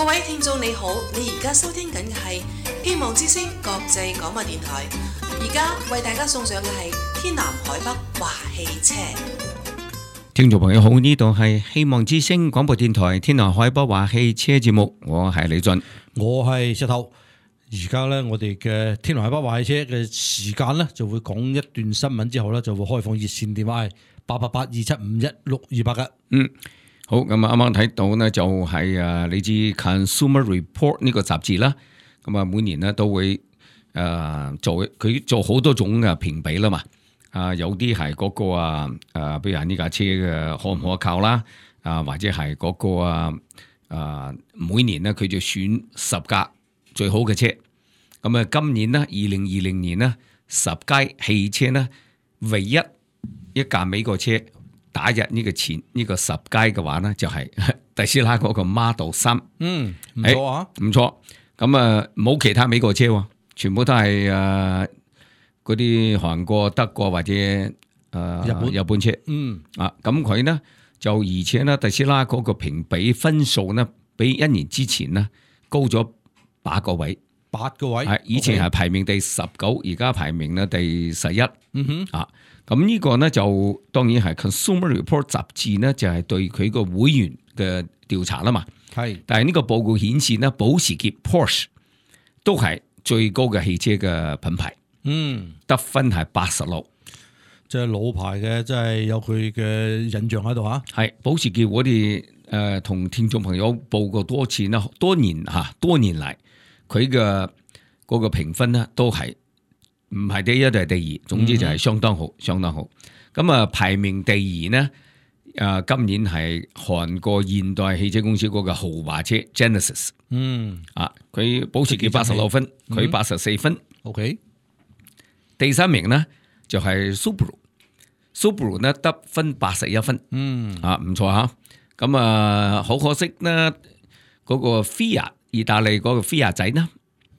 各位聽眾你好，你而家收聽緊嘅係希望之聲國際廣播電台，而家為大家送上嘅係天南海北話汽車。聽眾朋友好，呢度係希望之聲廣播電台天南海北話汽車節目，我係李俊，我係石頭。而家咧，我哋嘅天南海北話汽車嘅時間咧，就會講一段新聞之後咧，就會開放熱線電話係888-275-1628嘅。好，咁啊，啱啱睇到呢，就係你知 Consumer Report 呢個雜誌啦，咁啊每年呢都會做好多種嘅評比啦嘛，有啲係嗰個比如話呢架車嘅可唔可靠啦，或者係嗰個每年呢佢就選10架最好嘅車，咁啊今年呢2020年呢10佳汽車呢唯一一架美國車打入呢個10佳嘅話呢，就係特斯拉嗰個 Model 3。唔錯啊，唔錯。咁啊，冇其他美國車喎，全部都係嗰啲韓國、德國或者日本車。咁佢呢就而且呢，特斯拉嗰個評比分數呢，比一年之前呢高咗8個位。8個位，係以前係排名第19，而家排名呢第11。咁呢個呢就當然係 Consumer Report 雜誌呢，就係對佢個會員嘅調查啦嘛。係，但係呢個報告顯示呢，保時捷 Porsche 都係最高嘅汽車嘅品牌。得分係86，即係老牌嘅，即係有佢嘅印象喺度嚇。係保時捷，我哋同聽眾朋友報過多次啦，多年嚟佢嘅嗰個評分呢都係。唔係第一就係第二，總之就係相當好，相當好。咁啊，排名第2呢？今年係韓國現代汽車公司嗰個豪華車 Genesis。佢保時捷86分，佢84分。OK。第3名呢就係 Subaru 呢得分81分。唔錯嚇。咁啊，好可惜呢，嗰個 Fiat 意大利嗰個 Fiat 仔呢，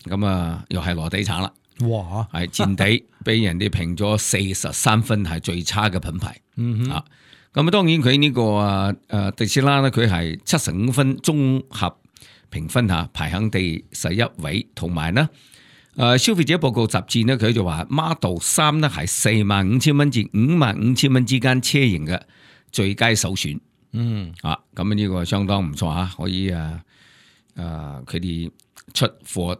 咁啊又係落地產啦。哇！係墊底，俾人哋評咗43分，係最差嘅品牌。咁啊，當然佢呢個特斯拉咧，佢係75分綜合評分下排行第11位，同埋呢消費者報告雜誌呢，佢就話 Model 3呢係45,000蚊至55,000蚊之間車型嘅最佳首選。咁呢個相當唔錯嚇，可以佢哋出貨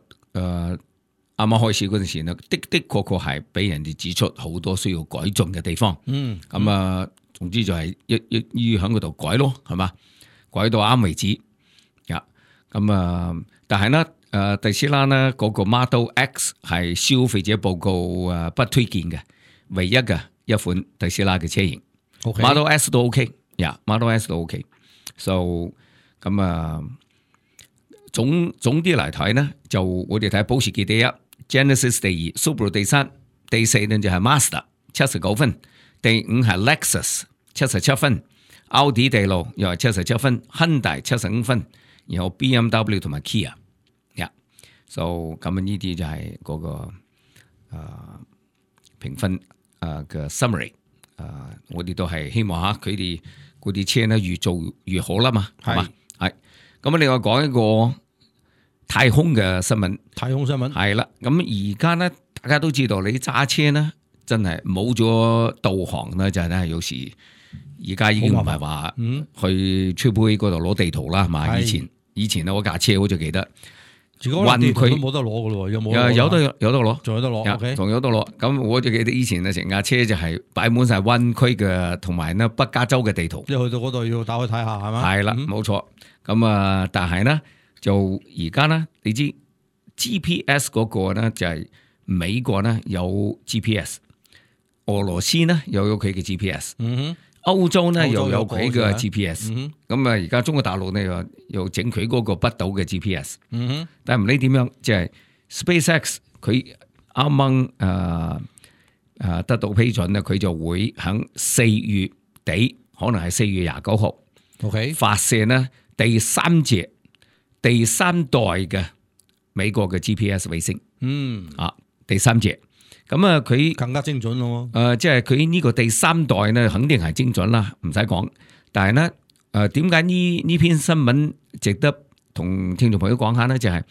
啱啱開始嗰陣時呢，的確係俾人哋指出好多需要改進嘅地方。總之就係要喺嗰度改咯，係嘛？改到啱為止。但係呢，特斯拉呢嗰個 Model X 係消費者報告不推薦嘅，唯一嘅一款特斯拉嘅車型。Model S 都 OK，Model S 都 OK。So 總啲嚟睇呢，就我哋睇保時捷第1。Genesis 第2 ，Subaru 第3，第4呢就係 Mazda 79分，第5係 Lexus 77分，奧迪第6又係77分，Hyundai 75分，然後 BMW 同埋 Kia。So 咁呢啲就係嗰個評分嘅 summary。我哋都係希望下佢哋嗰啲車呢越做越好啦嘛，係嘛？係。咁另外講一個太空嘅新聞，係啦。咁而家呢，大家都知道你揸車呢，真係冇咗導航呢，就係咧有時而家已經唔係話去吹杯嗰度攞地圖啦，係嘛？以前我架車好似記得，運地圖都冇得攞噶咯，有冇？有得攞，仲有得攞，仲有得攞。咁我就記得以前呢，成架車就係擺滿晒灣區嘅同埋呢北加州嘅地圖，即係去到嗰度要打開睇下，係嘛？係啦，冇錯。咁但係呢。就而家呢，你知 GPS 嗰個呢，就係美國呢有 GPS， 俄羅斯呢又有佢嘅 GPS，歐洲呢又有佢嘅 GPS，咁而家中國大陸呢又整佢嗰個北島嘅 GPS，但係唔理點樣，即係 SpaceX 佢啱啱得到批准呢，佢就會喺4月底，可能係4月29號發射呢第3代嘅美國嘅 GPS 衛星，第3隻，咁佢更加精準咯。即係佢呢個第3代呢，肯定係精準啦，唔使講。但係呢，點解呢篇新聞值得同聽眾朋友講下咧，就係、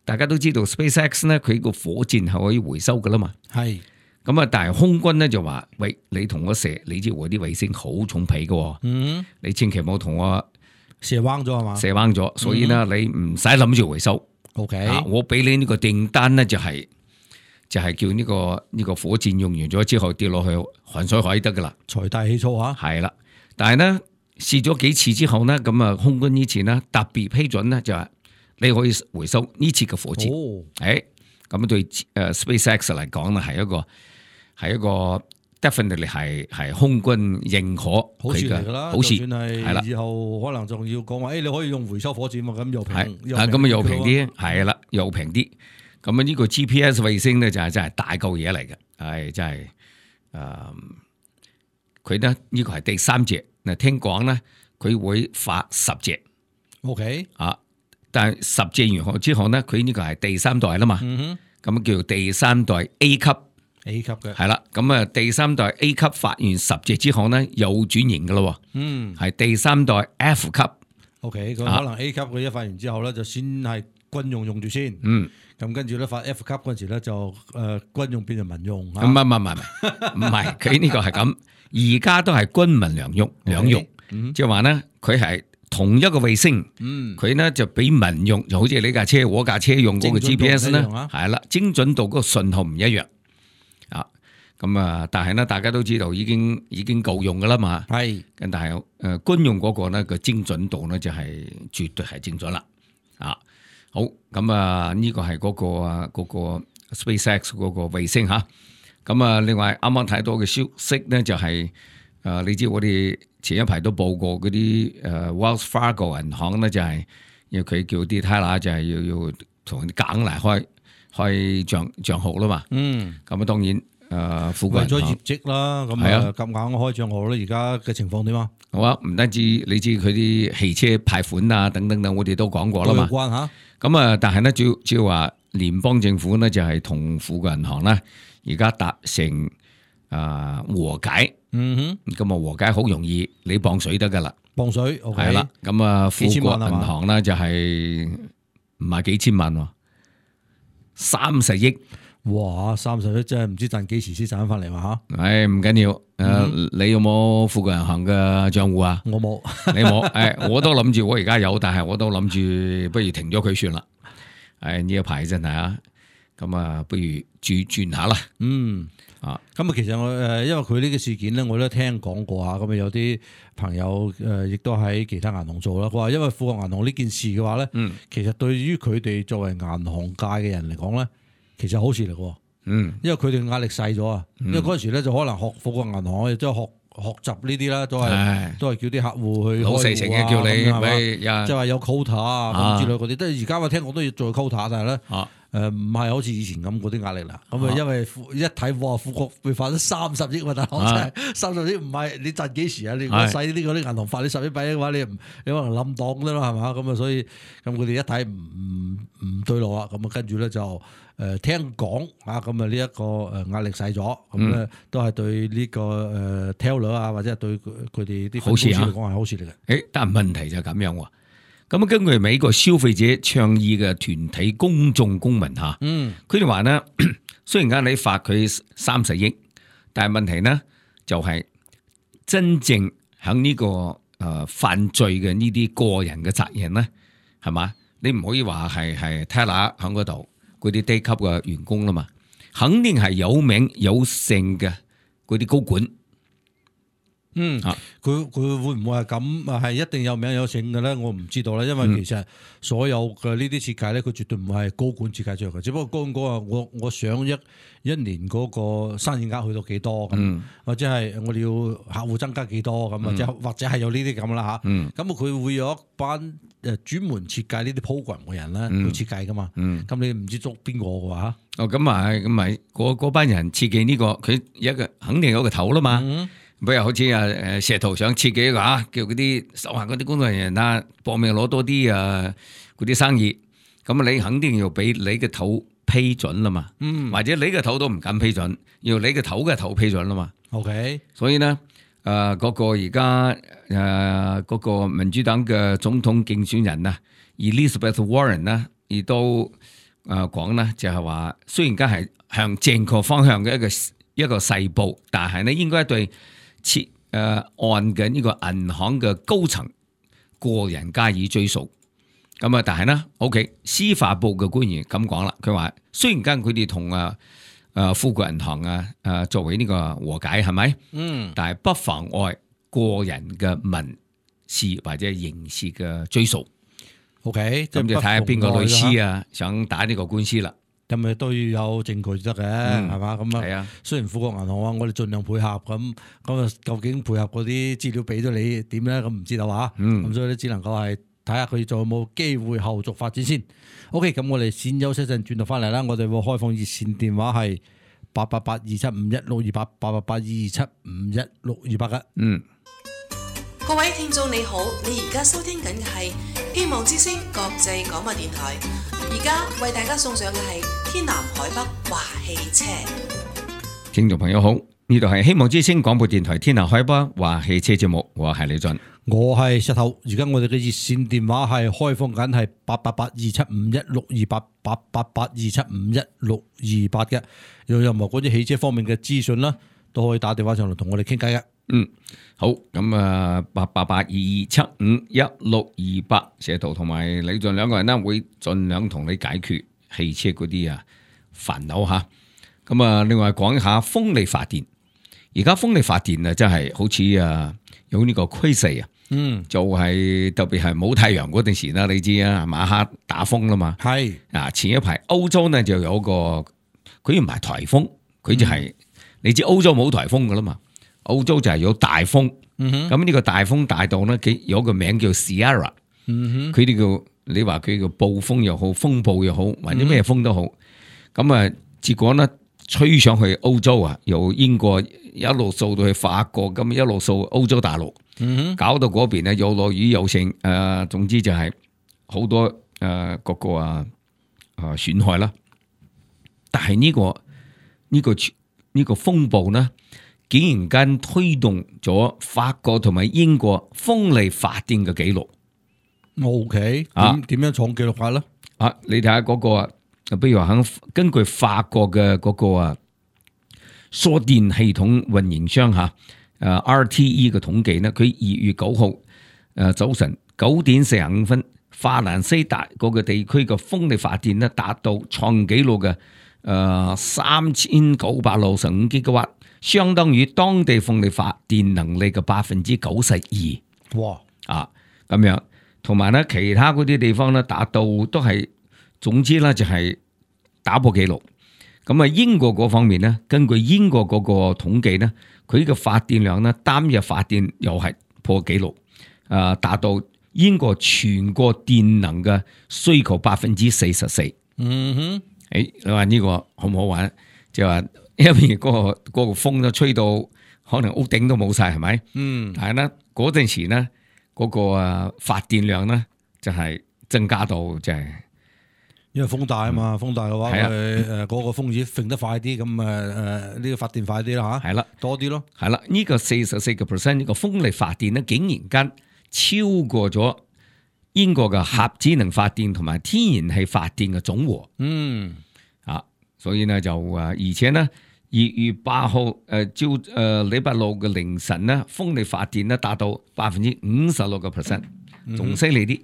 大家都知道 SpaceX 咧，佢個火箭係可以回收噶啦嘛。係咁啊，但係空軍咧就話：喂，你同我射，你知我啲衛星好重皮嘅喎，你千祈唔好同我射彎咗係嘛？射彎咗，所以咧你唔使諗住回收。 OK，我俾你呢個訂單咧就係、叫呢個火箭用完咗之後跌落去鹹水海得噶啦。財大氣粗嚇。係啦，但係咧試咗幾次之後咧，咁啊空軍呢次咧特別批准咧就係你可以回收呢次嘅火箭。哦，咁對SpaceX 嚟講咧係一個 definitely 係空軍認可好事佢嘅嚟㗎啦，好事就算係啦係以後可能仲要講話，你可以用回收火箭喎，咁又平，咁啊又平啲。啲，係啦又平啲。咁啊呢個 GPS 衛星咧就係真係大嚿嘢嚟嘅，係真係佢咧呢個係第3隻。嗱聽講咧佢會發10隻 OK，啊，但係10隻完後之後咧，佢呢個係第3代啦嘛，咁叫第3代 A 級。 A 級嘅。係啦，咁啊第3代 A 級發完10隻之後咧，又轉型噶咯，係第3代 F 級。OK，咁可能 A 級佢一發完之後咧，就先係軍用住先。咁跟住咧發 F 級嗰陣時咧，就軍用變成民用。唔係，佢呢個係咁，而家都係軍民兩用，即係話咧，佢係同一個衛星，佢咧就俾民用，就好似你架車、我架車用嗰個 GPS 咧，係啦，精準度嗰個信號唔一樣。咁啊，但係咧，大家都知道已經夠用噶啦嘛。係，咁但係軍用嗰個咧個精準度咧就係絕對係精準啦。好，咁啊呢個係嗰個 SpaceX 嗰個衛星嚇。咁啊，另外啱啱睇到嘅消息咧就係你知我哋前一排都報過嗰啲Wells Fargo 銀行咧就係因為佢叫啲 teller 就係要同啲梗嚟開帳號啦嘛。咁啊當然。為咗業績啦，咁咁硬開帳號咧，而家嘅情況點啊？好啊，唔單止你知佢啲汽車貸款啊，等等，我哋都講過啦嘛。有關嚇。咁啊，但係咧，主要話聯邦政府咧就係同富國銀行咧，而家達成和解。咁啊和解好容易，你磅水得噶啦。磅水，OK。係啦，咁啊富國銀行咧就係唔係幾千萬喎，30億。哇！30億真係唔知賺幾時先賺翻嚟嘛嚇？唔緊要，你有冇富國銀行嘅賬戶啊？我冇，你冇？我都諗住我而家有，但係我都諗住不如停咗佢算啦。呢一排真係啊，咁啊，不如轉下啦。咁啊，其實我因為佢呢個事件咧，我都聽講過啊。咁啊，有啲朋友亦都喺其他銀行做啦。佢話因為富國銀行呢件事嘅話咧，其實對於佢哋作為銀行界嘅人嚟講咧。其實好事嚟嘅，因為佢哋壓力細咗啊。因為嗰陣時咧就可能學富國銀行，即係學習呢啲啦，都係叫啲客戶去開戶啊，老細成日叫你，即係話有 quota 啊咁之類嗰啲。即係而家我聽講都要做 quota，但係咧唔係好似以前咁嗰啲壓力啦。咁啊，因為一睇哇，富國會發咗30億喎，大佬真係30億唔係你賺幾時啊？你細啲嗰啲銀行發你10億俾嘅話，你可能冧檔啫啦，係嘛？咁啊，所以咁佢哋一睇唔對路啦，咁啊跟住咧就。聽講啊，咁啊呢一個壓力細咗，咁咧都係對呢個teller 啊，或者係對佢哋啲公司嚟講係好事嚟嘅。但係問題就係咁樣喎。咁根據美國消費者倡議嘅團體公眾公民嚇，佢哋話咧，雖然間你罰佢30億，但係問題呢就係真正喺呢個犯罪嘅呢啲個人嘅責任咧，係嘛？你唔可以話係 teller 喺嗰度。嗰啲低級嘅員工啦嘛，肯定係有名有姓嘅嗰啲高管。佢會唔會係咁？係一定有名有姓嘅咧？我唔知道啦，因為其實所有嘅呢啲設計咧，佢絕對唔係高管設計出嚟嘅。只不過高管講話，我想一年嗰個生意額去到幾多咁，或者係我哋要客戶增加幾多咁，或者係有呢啲咁啦嚇。咁佢會有一班專門設計呢啲 program 嘅人咧去設計噶嘛。咁你唔知捉邊個嘅話？咁咪嗰班人設計呢個，佢肯定有一個頭啦嘛。比如好似石頭想設計一個叫嗰啲手下嗰啲工作人員啊，搏命攞多啲嗰啲生意，咁你肯定要俾你嘅頭批准啦嘛，或者你嘅頭都唔敢批准，要你嘅頭嘅頭批准啦嘛。OK， 所以呢，嗰個而家嗰個民主黨嘅總統競選人啊， Elizabeth Warren 呢，亦都講呢，就係話，雖然間係向正確方向嘅一個細步，但係呢應該對按嘅呢個銀行嘅高層個人加以追訴。咁啊，但係呢 OK， 司法部嘅官員咁講啦，佢話雖然間佢哋同富國銀行作為呢個和解係咪？但係不妨礙個人嘅民事或者刑事嘅追訴。OK， 咁就睇下邊個律師想打呢個官司啦。咁咪都要有證據得嘅，係嘛？咁啊，雖然富國銀行話我哋盡量配合，咁啊，究竟配合嗰啲資料俾咗你點咧？咁唔知道啊。咁所以咧，只能夠係睇下佢仲有冇機會後續發展先。OK， 咁我哋先休息陣，轉頭翻嚟啦。我哋會開放熱線電話係888-275-1628，888-275-1628嘅。各位聽眾你好，你而家收聽緊嘅係希望之聲國際廣播電台，而家為大家送上嘅係天南海北話汽車。聽眾朋友好，呢度係希望之聲廣播電台天南海北話汽車節目，我係李俊，我係石頭。而家我哋嘅熱線電話係開放緊係888-275-1628，888-275-1628嘅。有任何嗰啲汽車方面嘅資訊啦，都可以打電話上嚟同我哋傾偈嘅。好，咁888-2275-1628，石頭同埋李俊兩個人呢，會盡量同你解決汽車嗰啲煩惱吓。咁另外講一下風力發電，而家風力發電真係好似有呢個趨勢就係特別係冇太陽嗰陣時啦，你知晚黑打風啦嘛。係前一排歐洲呢就有個，佢唔係颱風，佢就係你知歐洲冇颱風噶啦嘛。澳洲就係有大風，咁呢個大風大到呢，有個名叫 Sierra， 佢哋叫你話佢叫暴風又好，風暴又好，或者咩風都好，咁結果呢吹上去歐洲由英國一路掃到去法國，咁一路掃歐洲大陸，搞到嗰邊呢又落雨又成，總之就係好多各個損害啦。但係呢個風暴呢，竟然間推動咗法國同埋英國風力發電嘅紀錄。OK， 點樣創紀錄法咧？你睇下嗰個比如話根據法國嘅嗰個輸電系統運營商RTE 嘅統計呢，佢2月9號早晨9點45分，法蘭西達嗰個地區嘅風力發電呢達到創紀錄嘅3965 GW。相當於當地風力發電能力嘅92%。哇！咁樣，同埋咧其他嗰啲地方咧達到都係，總之咧就係打破紀錄。咁英國嗰方面咧，根據英國嗰個統計咧，佢嘅發電量咧單日發電又係破紀錄，達到英國全國電能嘅需求44%。你話呢個好唔好玩？就話。因為嗰個風都吹到可能屋頂都冇晒，係咪？但係咧嗰陣時咧嗰個發電量咧就係增加到就係，因為風大啊嘛，風大嘅話嗰個風子揈得快啲，咁呢個發電快啲啦吓。係啦，多啲咯。係啦，呢個44%呢個風力發電咧，竟然間超過咗英國嘅核子能發電同埋天然氣發電嘅總和。所以呢就而且呢2月8號朝禮拜六嘅凌晨呢，風力發電呢達到56%，仲犀利啲。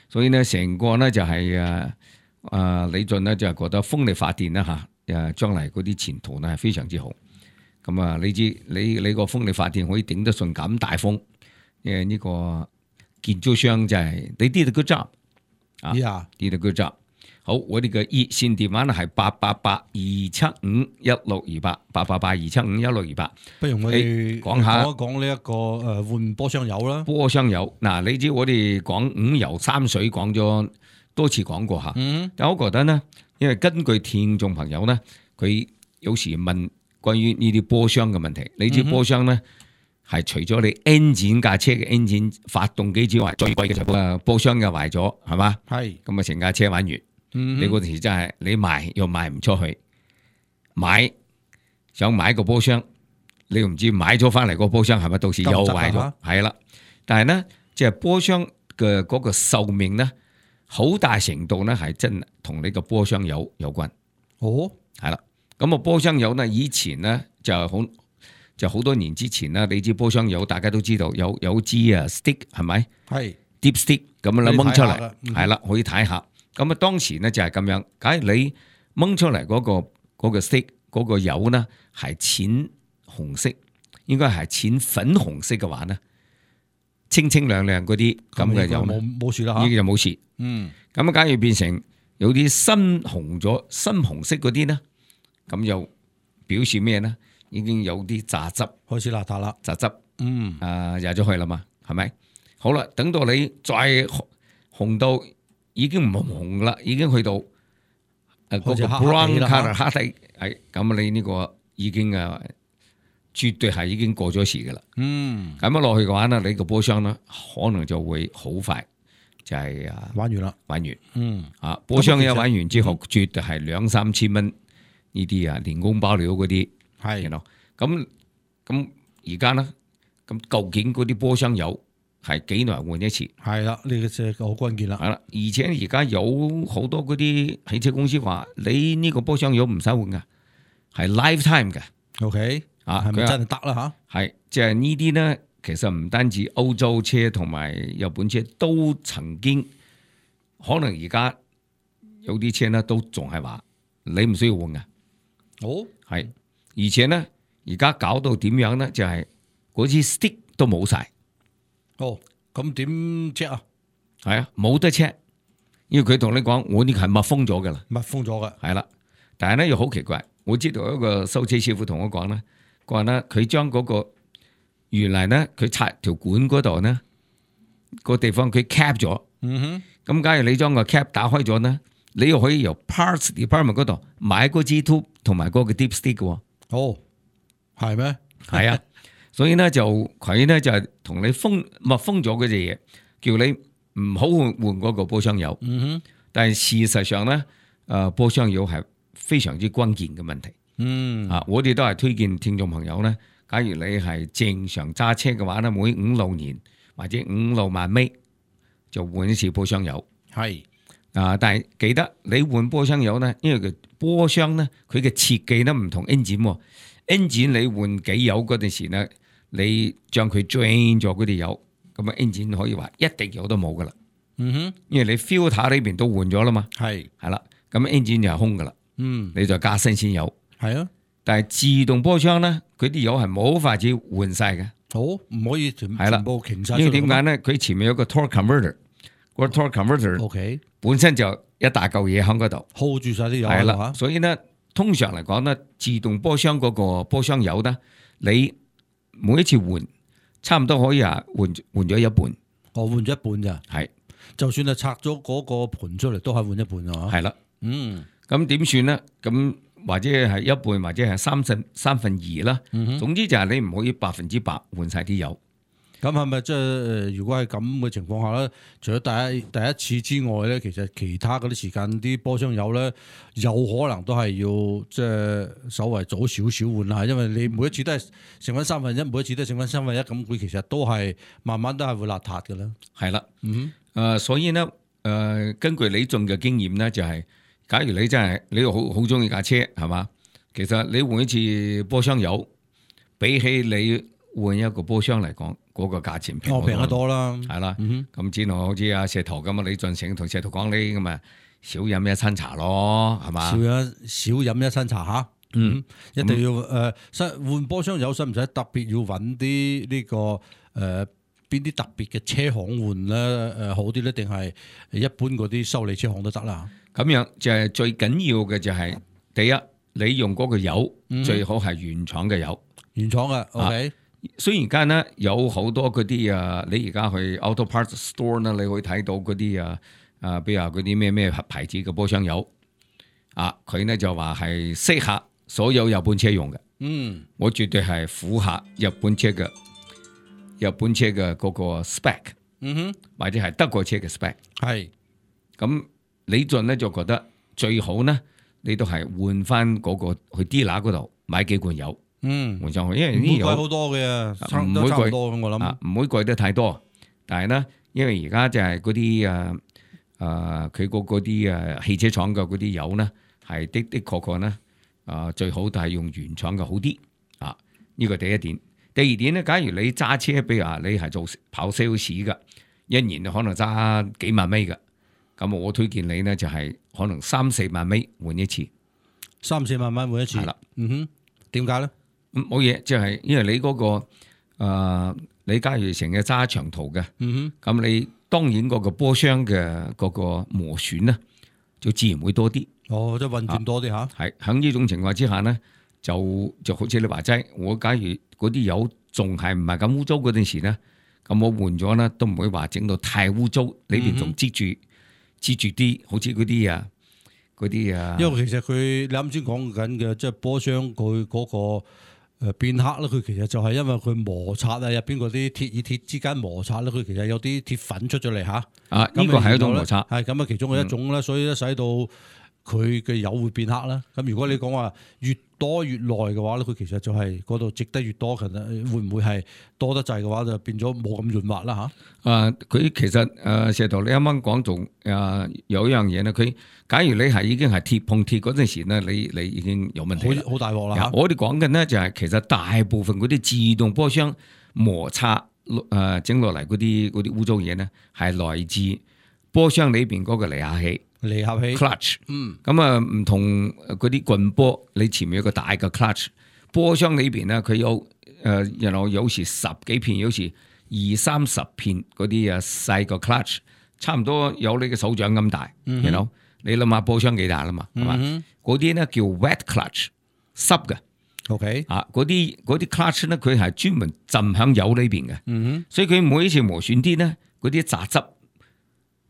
所以呢成個呢就係李俊呢就係覺得風力發電呢將來嗰啲前途呢係非常之好。咁你知你個風力發電可以頂得順咁大風，呢個建築商就係你did a good job，did a good job。好，我哋嘅熱線電話呢係888-275-1628，888-275-1628。不如我哋講呢一個換波箱油啦。波箱油嗱，你知我哋講5油3水講咗多次講過吓，但我覺得呢，因為根據聽眾朋友呢，佢有時問關於呢啲波箱嘅問題，你知波箱呢係除咗你 engine 架車嘅 engine 發動機之外，最貴嘅就係波箱又壞咗，係嘛？係咁成架車玩完。你嗰陣時真係你賣又賣唔出去，想買個波箱，你又唔知買咗翻嚟個波箱係咪到時又壞咗？係啦，但係呢，即係波箱嘅嗰個壽命呢，好大程度咧係真同你個波箱油有關。哦，係啦，咁啊波箱油呢，以前呢就好多年之前啦，你知波箱油大家都知道有支啊 stick 係咪？係 deep stick 咁樣啦掹出嚟，嗯係啦可以睇下。咁啊當時呢就係咁樣，假如你掹出嚟嗰個 stick 嗰個油呢係淺紅色，應該係淺粉紅色嘅話呢，清清亮亮嗰啲咁嘅油呢冇事啦嚇。已經就冇事。嗯，咁啊假如變成有啲深紅色嗰啲呢，咁又表示咩呢？已經有啲榨汁開始邋遢啦。榨汁。嗯，入咗去啦嘛，係咪？好啦，等到你再紅到已經唔紅啦，已經去到嗰個 brown colour 黑底，係咁你呢個已經絕對係已經過咗時噶啦。嗯，咁樣落去嘅話呢，你個波箱呢可能就會好快就係玩完啦。玩完。嗯，波箱一玩完之後，絕對係2-3千蚊呢啲年工包料嗰啲。係咯，咁而家呢？咁究竟嗰啲波箱油係幾耐換一次？係啦，呢個就好關鍵啦。係啦，而且而家有好多嗰啲汽車公司話，你呢個波箱油唔使換噶，係 lifetime 嘅。OK，啊，係咪真係得啦嚇？係，即係呢啲呢，其實唔單止歐洲車同埋日本車都曾經，可能而家有啲車呢都仲係話你唔需要換噶。哦，係，而且呢，而家搞到點樣呢？就係嗰支 stick 都冇晒。哦，咁點 check 啊？係啊，冇得 check，因為佢同你講，我呢個係密封咗噶啦，密封咗嘅。係啦。但係咧又好奇怪，我知道一個修車師傅同我講咧，佢話咧佢將嗰個原來咧佢拆條管嗰度呢個地方佢 cap 咗，嗯咁假如你將個 cap 打開咗呢，你又可以由 parts department 嗰度買嗰支 tube 同埋嗰個 deep stick 嘅。哦，係咩？係啊。所以咧就佢咧就係同你密封咗嗰隻嘢，叫你唔好換嗰個波箱油。嗯哼，但係事實上咧，波箱油係非常之關鍵嘅問題。嗯，我哋都係推薦聽眾朋友咧，假如你係正常揸車嘅話咧，每5-6年或者5-6萬尾就換一次波箱油。係但係記得你換波箱油咧，因為個波箱咧佢嘅設計咧唔同 engine 你換機油嗰陣時咧。你將佢 drain 咗嗰啲油，咁啊 engine 可以話一滴油都冇噶啦。嗯哼，因為你 filter 呢邊都換咗啦嘛。係啦，咁 engine 就係空噶啦。嗯，你再加新鮮油。係啊，但係自動波箱咧，佢啲油係冇法子換晒嘅。好，唔可以全部傾晒。因為點解咧？佢前面有個 torque converter，個 torque converter OK 本身就一大嚿嘢喺嗰度 hold 住晒啲油。係啦，所以咧通常嚟講咧，自動波箱嗰個波箱油咧，你每一次換，差唔多可以換咗一半。我換咗一半咋？係，就算係拆咗嗰個盤出嚟，都係換一半啊。係啦，嗯，咁點算咧？咁或者係一半，或者係3/3啦。總之就係你唔可以100%換晒啲油。咁係咪即係如果係咁嘅情況下咧，除咗第一次之外咧，其實其他嗰啲時間啲波箱油咧，有可能都係要即係稍微早少少換啦，因為你每一次都係剩翻1/3，每一次都係剩翻1/3，咁佢其實都係慢慢都係會邋遢嘅啦。係啦，所以咧，根據李俊嘅經驗咧，就係假如你真係你好中意架車係嘛，其實你換一次波箱油，比起你換一個波箱嚟講，嗰個價錢平得多啦，係啦。咁之後好似阿石頭咁啊，李俊成同石頭講呢咁啊，少飲一餐茶咯，係嘛？少飲一餐茶嚇。一定要換波箱油，使唔使特別要揾啲呢個邊啲特別嘅車行換咧？好啲咧，定係一般嗰啲修理車行都得啦？咁樣就係最緊要嘅就係第一，你用嗰個油最好係原廠嘅油，原廠嘅 OK。雖然間咧有好多嗰啲你而家去 auto parts store 咧，你可以睇到嗰啲比如話嗰啲咩牌子嘅波箱油佢咧就話係適合所有日本車用嘅。我絕對係符合日本車嘅嗰個 spec，或者係德國車嘅 spec。係咁，李俊咧就覺得最好呢，你都係換翻嗰個去 dealer 嗰度買幾罐油。換上去，因為呢油貴好多嘅，唔會貴多我諗唔會貴得太多。但係咧，因為而家就係嗰啲佢嗰啲汽車廠嘅嗰啲油呢，係的確呢，最好都係用原廠嘅好啲啊。呢個第一點。第二點呢，假如你揸車，比如話你係做跑 sales 嘅，一年可能揸幾萬米嘅，咁我推薦你呢，就係可能3-4萬米換一次，3-4萬蚊換一次。係啦，點解咧？冇嘢，即係因為你嗰個你假如成日揸長途嘅，咁你當然嗰個波箱嘅嗰個磨損呢，就自然會多啲。哦，即係運轉多啲嚇。係喺呢種情況之下呢，就好似你話齋，我假如嗰啲油仲係唔係咁污糟嗰陣時呢，咁我換咗呢，都唔會話整到太污糟，裏邊仲擠住啲，好似嗰啲啊。因為其實佢你啱先講緊嘅，即係波箱佢嗰個變黑咧，佢其實就係因為佢摩擦啊，入邊嗰啲鐵與鐵之間摩擦咧，佢其實有啲鐵粉出咗嚟嚇。呢個係一種摩擦，係咁啊，其中嘅一種啦，所以咧使到佢嘅油會變黑啦。咁如果你講話越多越耐嘅話咧，佢其實就係嗰度積得越多，其實會唔會係多得滯嘅話，就變咗冇咁潤滑啦嚇？佢其實石頭你啱啱講仲有一樣嘢咧，佢假如你係已經係鐵碰鐵嗰陣時咧，你已經有問題啦，好大鑊啦。我哋講緊呢，就係其實大部分嗰啲自動波箱摩擦整落嚟嗰啲污糟嘢呢，係來自波箱裏邊嗰個離合器。clutch， 咁唔同嗰啲棍波，你前面有個大嘅 clutch， 波箱裏邊咧佢有然後有時10幾片，有時20-30片嗰啲細個 clutch， 差唔多有你嘅手掌咁大，然後你諗下波箱幾大啦嘛，係嘛？嗰啲咧叫 wet clutch， 濕嘅。OK， 嗰啲 clutch 咧，佢係專門浸響油裏邊嘅，所以佢每一次磨損啲咧，嗰啲雜質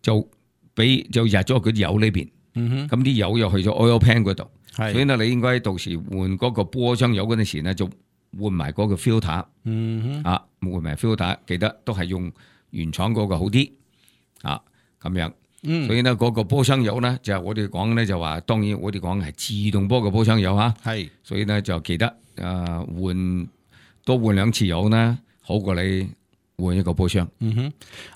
就入咗嗰啲油裏邊，咁啲油又去咗 oil pan 嗰度，所以咧你應該到時換嗰個波箱油嗰陣時咧，就換埋嗰個 filter，換埋 filter， 記得都係用原廠嗰個好啲，咁樣。所以呢，嗰個波箱油咧，就係我哋講咧就話，當然我哋講係自動波嘅波箱油嚇，係，所以咧就記得多換2次油啦，好過你換一個波箱。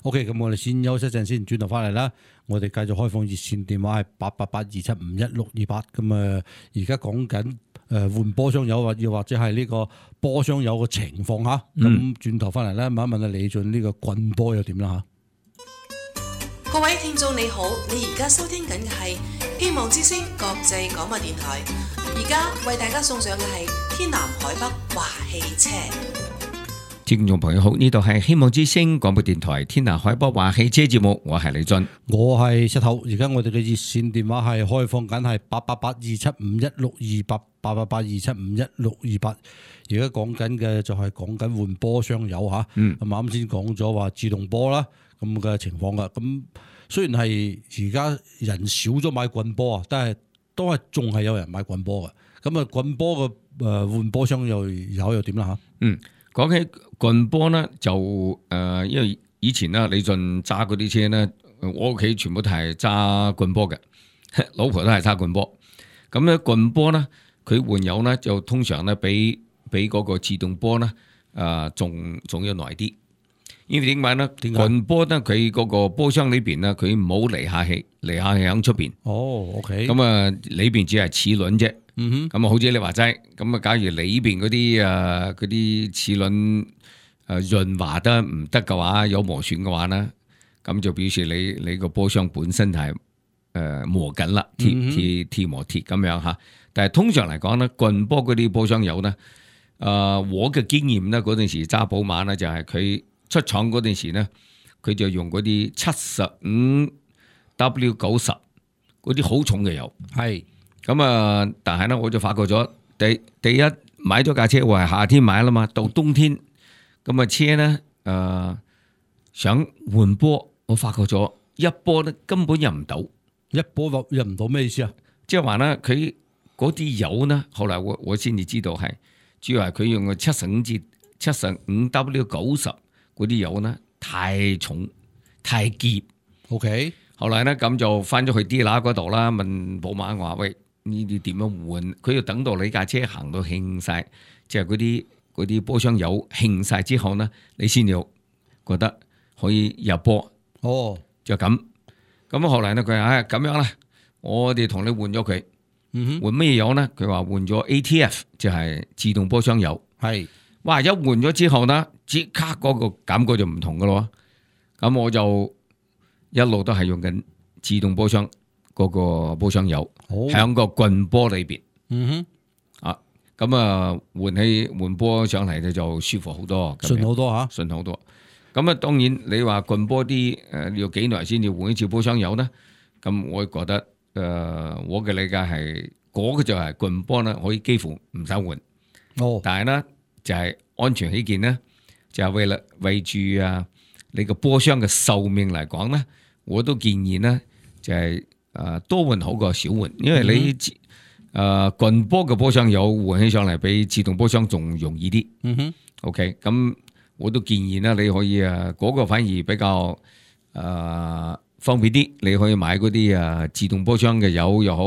OK， 咁我哋先休息一陣先，轉頭翻嚟啦。我哋繼續開放熱線電話係8882751628。咁而家講緊換波箱油，又或者係呢個波箱油嘅情況嚇。咁轉頭翻嚟咧，問一問李俊呢個棍波又點啦嚇？各位聽眾你好，你而家收聽緊嘅係希望之聲國際廣播電台。而家為大家送上嘅係天南海北華汽車。聽眾朋友好，呢度係希望之聲廣播電台天南海北華汽車節目，我係李俊，我係石頭。而家我哋嘅熱線電話係開放緊係8882751628 8882751628。而家講緊嘅就係講緊換波箱油嚇。咁啱先講咗話自動波啦，咁嘅情況噶。咁雖然係而家人少咗買棍波啊，但係都係仲係有人買棍波嘅。咁棍波嘅換波箱油又點啦嚇？講起棍波咧，就因為以前咧李俊揸嗰啲車咧，我屋企全部都係揸棍波嘅，老婆都係揸棍波。咁咧棍波咧，佢換油咧就通常咧比嗰個自動波咧仲要耐啲。因為點解咧？棍波咧佢嗰個波箱裏邊咧，佢冇離合器喺出邊。哦 ，OK。咁裏邊只係齒輪啫。咁好似你話齋，咁假如裏邊嗰啲齒輪潤滑得唔得嘅話，有磨損嘅話咧，咁就表示你個波箱本身係磨緊啦，鐵磨鐵咁樣嚇。但係通常嚟講咧，棍波嗰啲波箱油咧，我嘅經驗咧，嗰陣時揸寶馬咧，就係佢出廠嗰陣時咧，佢就用嗰啲75W90嗰啲好重嘅油。係。咁但係咧，我就發覺咗第一買咗架車，我係夏天買啦嘛，到冬天咁車咧想換波，我發覺咗一波咧根本入唔到，一波入唔到咩意思啊？即係話咧，佢嗰啲油咧，後來我先至知道係主要係佢用嘅75W90嗰啲油咧太重太澀。OK， 後來咧咁就翻咗去 dealer 嗰度啦，問寶馬我話喂，呢啲點樣換？佢要等到你架車行到興晒，即係嗰啲波箱油興晒之後呢，你先要覺得可以入波。哦，就咁。咁後來呢，佢話咁樣啦，我哋同你換咗佢。換咩油呢？佢話換咗 ATF，就係自動波箱油。係，哇！一換咗之後呢，即刻嗰個感覺就唔同噶咯。咁我就一路都係用緊自動波箱嗰個波箱油，喺個棍波裏邊。咁啊換波上嚟咧就舒服好多，順好多嚇，順好多。咁啊當然你話棍波啲要幾耐先要換一次波箱油呢？咁我覺得我嘅理解係嗰個就係棍波呢，可以幾乎唔使換。但係呢，就係安全起見呢，就係為住你個波箱嘅壽命嚟講呢，我都建議呢，就係多換好過少換，因為你棍波嘅波箱油換起上嚟比自動波箱仲容易啲。OK， 咁我都建議呢，你可以嗰個反而比較方便啲，你可以買嗰啲自動波箱嘅油又好，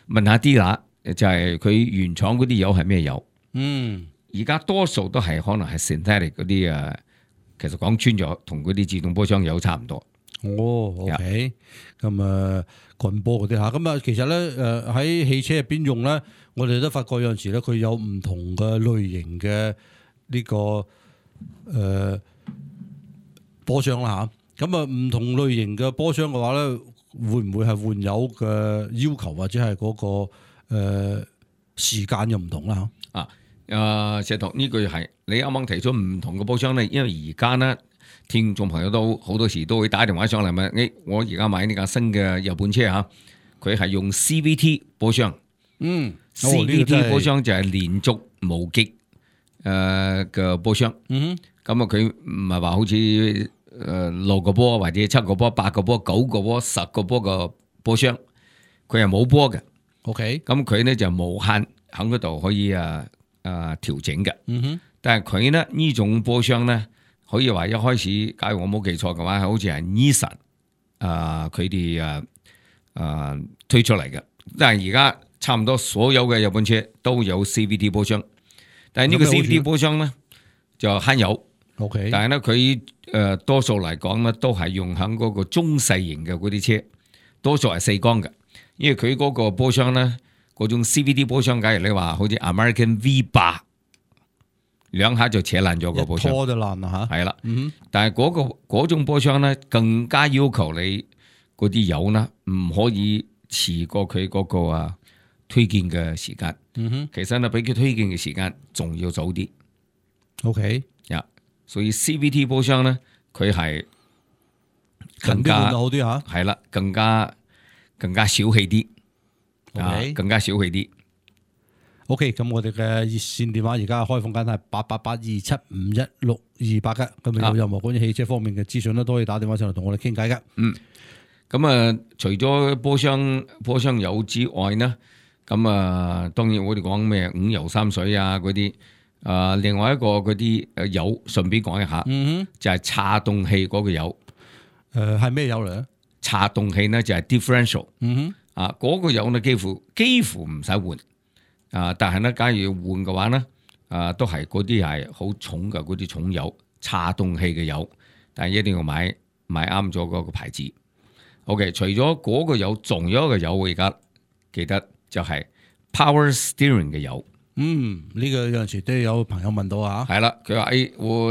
問下啲啦，就係佢原廠嗰啲油係咩油？而家多數都係可能係 synthetic 嗰啲其實講穿咗同嗰啲自動波箱油差唔多。OK， 咁棍波嗰啲嚇，咁其實咧喺汽車入邊用咧，我哋都發覺有陣時咧佢有唔同嘅類型嘅呢個波箱啦嚇，咁唔同類型嘅波箱嘅話咧，會唔會係換油嘅要求或者係嗰個時間又唔同啦嚇？石頭呢句係你啱啱提出唔同嘅波箱咧，因為而家呢，聽眾朋友都好多時都會打電話上嚟問，我而家買呢架新嘅日本車嚇，佢係用 CVT 波箱，CVT 波箱就係連續無極嘅波箱，咁佢唔係話好似6個波或者7個波、8個波、9個波、10個波嘅波箱，佢係冇波嘅。OK，咁佢呢就無限喺嗰度可以調整嘅。但係佢呢種波箱呢，可以話一開始，假如我冇記錯嘅話，好似係 Nissan 佢哋推出嚟嘅。但係而家差唔多所有嘅日本車都有 CVT 波箱，但係呢個 CVT 波箱呢就慳油。OK， 但係呢，佢多數嚟講呢都係用喺嗰個中細型嘅嗰啲車，多數係4缸嘅，因為佢嗰個波箱呢，嗰種 CVT 波箱，假如你話好似 American V8。兩下就扯爛咗個波箱，拖就爛啦嚇。係啦，但係嗰種波箱咧，更加要求你嗰啲油呢，唔可以遲過佢嗰個推薦嘅時間。其實呢，比佢推薦嘅時間仲要早啲。OK，所以 CVT 波箱呢，佢係更加好啲嚇。係啦，更加小氣啲，更加小氣啲。OK， 咁我哋嘅熱線電話而家開放緊係8882751628嘅，咁有任何關於汽車方面嘅資訊咧，都可以打電話上嚟同我哋傾偈嘅。咁除咗波箱油之外呢，咁當然我哋講咩5油3水嗰啲，另外一個嗰啲油，順便講一下，就係叉動器嗰個油。係咩油嚟咧？叉動器呢就係 differential，嗰個油呢幾乎唔使換。但係咧，假如要換嘅話咧，都係嗰啲係好重嘅嗰啲重油，叉動器嘅油，但係一定要買啱咗嗰個牌子。OK， 除咗嗰個油，仲有一個油，我而家記得就係 Power Steering 嘅油。呢個有陣時都有朋友問到啊。係啦，佢話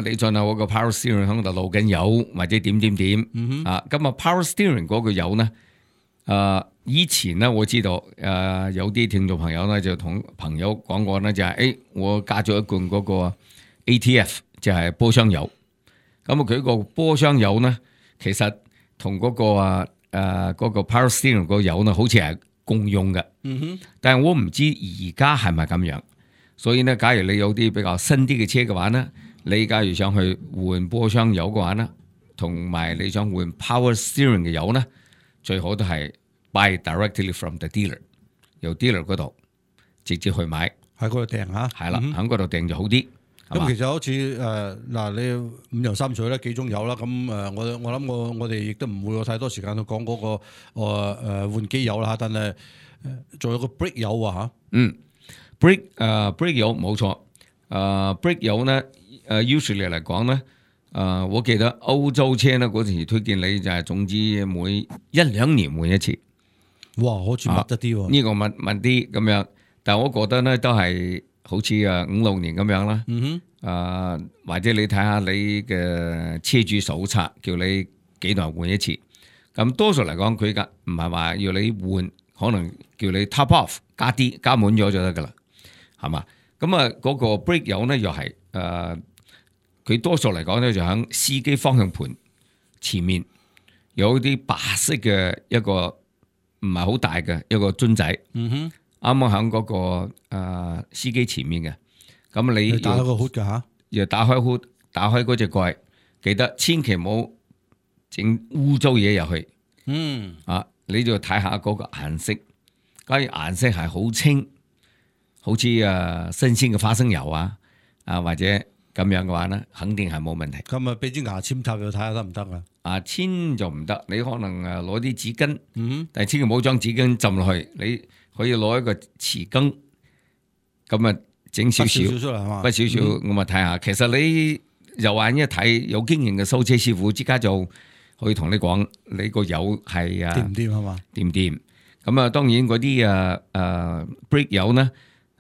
你進下我個 Power Steering 喺度漏緊油，或者點。咁Power Steering 嗰個油呢？以前呢，我知道有啲聽眾朋友呢就同朋友講過呢，就係我加咗一罐嗰個 ATF， 就係波箱油。咁佢個波箱油呢，其實同嗰個 Power Steering 個油呢，好似係共用嘅。但係我唔知而家係咪咁樣。所以呢，假如你有啲比較新啲嘅車嘅話呢，你假如想去換波箱油嘅話呢，同埋你想換 Power Steering 嘅油呢，最好都係 buy directly from the dealer， 由 dealer 嗰度直接去買，喺嗰度訂嚇。係啦，喺嗰度訂就好啲。咁其實好似你5油3水咧，幾種油啦。咁我諗我哋亦都唔會有太多時間去講嗰個換機油啦。但係仲有個 brake 油啊嚇。brake 油冇錯。brake 油咧usually 嚟講咧，我記得歐洲車咧嗰時推薦你就係總之每1-2年換一次。哇，好似密得啲喎。呢個密啲咁樣，但係我覺得咧都係好似5-6年咁樣啦。或者你睇下你嘅車主手冊，叫你幾耐換一次。咁多數嚟講，佢嘅唔係話要你換，可能叫你 top off 加滿咗就得噶啦，係嘛？咁啊嗰個 brake 油咧又係佢多數嚟講咧就喺司機方向盤前面有啲白色嘅一個唔係好大嘅一個樽仔，啱啱喺嗰個司機前面嘅。咁你打開個 hood 㗎嚇，要打開 hood，打開嗰隻蓋，記得千祈唔好整污糟嘢入去。你就睇下嗰個顏色，假如顏色係好清，好似新鮮嘅花生油或者咁樣嘅話咧，肯定係冇問題。咁啊，俾支牙籤插入睇下得唔得啊？牙籤就唔得，你可能攞啲紙巾，但係千祈唔好將紙巾浸落去，你可以攞一個匙羹，咁啊整少少，出嚟係嘛？不少少，我咪睇下。其實你右眼一睇，有經驗嘅修車師傅，即刻就可以同你講，你個油係掂唔掂係嘛？掂唔掂？咁啊，當然嗰啲brake 油咧，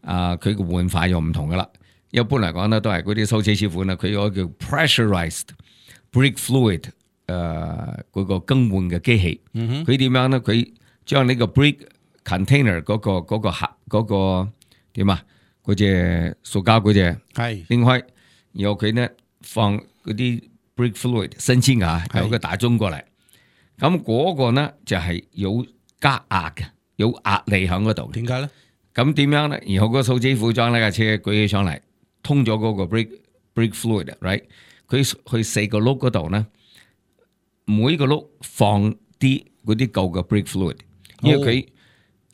佢嘅換法又唔同噶啦。一般嚟講咧，都係嗰啲修車師傅咧，佢有個叫 pressurized brake fluid 嗰個更換嘅機器。佢點樣咧？佢將呢個 brake container 嗰個盒嗰個點啊？嗰隻塑膠嗰隻係拎開，然後佢咧放嗰啲 brake fluid 新鮮㗎，有個大樽過嚟。咁嗰個咧就係有加壓嘅，有壓力喺嗰度。點解咧？咁點樣咧？然後個數支副將呢架車舉起上嚟，通咗嗰個 brake fluid，right？ 佢去4個轆嗰度咧，每個轆放啲嗰啲舊嘅 brake fluid， 因為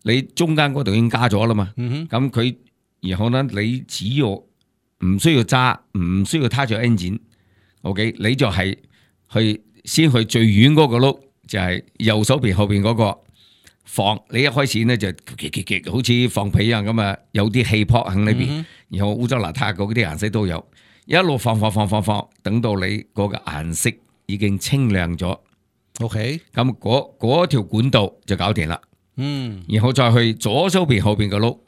你中間嗰度已經加咗啦嘛。咁佢然後咧，你只要唔需要揸，唔需要撻著 engine，OK， 你就係先去最遠嗰個轆，就係右手邊後邊嗰個放。你一開始咧就好似放屁一樣咁啊，有啲氣泡喺呢邊，然後污糟邋遢嗰啲顏色都有，一路放，等到你嗰個顏色已經清亮咗。OK，咁嗰條管道就搞掂啦。然後再去左手邊後邊嘅轆。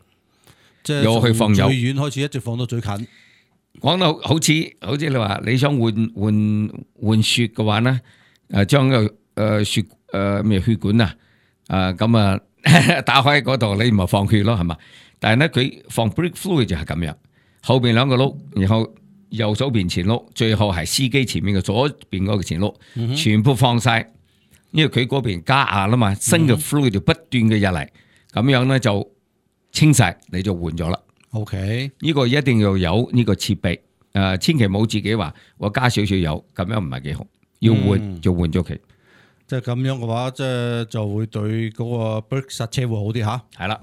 即係又去放油，最遠開始一直放到最近。講到好似你話你想換雪嘅話咧，將個雪血管咁打開嗰度，你咪放血咯，係嘛？但係咧佢放 brake fluid 就係咁樣，後邊兩個轆，然後右手邊前轆，最後係司機前面嘅左邊嗰個前轆，全部放晒，因為佢嗰邊加壓啦嘛，新嘅 fluid 就不斷嘅入嚟，咁樣咧就清晒你就換咗啦。OK，呢個一定要有呢個設備，千祈冇自己話我加少少油，咁樣唔係幾好。要換就換咗佢。即係咁樣嘅話，即係就會對嗰個 brake 剎車會好啲吓。係啦。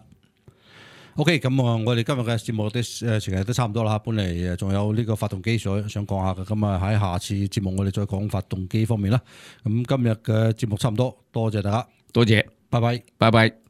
OK，咁我哋今日嘅節目啲時間都差唔多啦。本嚟仲有呢個發動機想講下嘅，咁啊喺下次節目我哋再講發動機方面啦。咁今日嘅節目差唔多，多謝大家，多謝，拜拜，拜拜。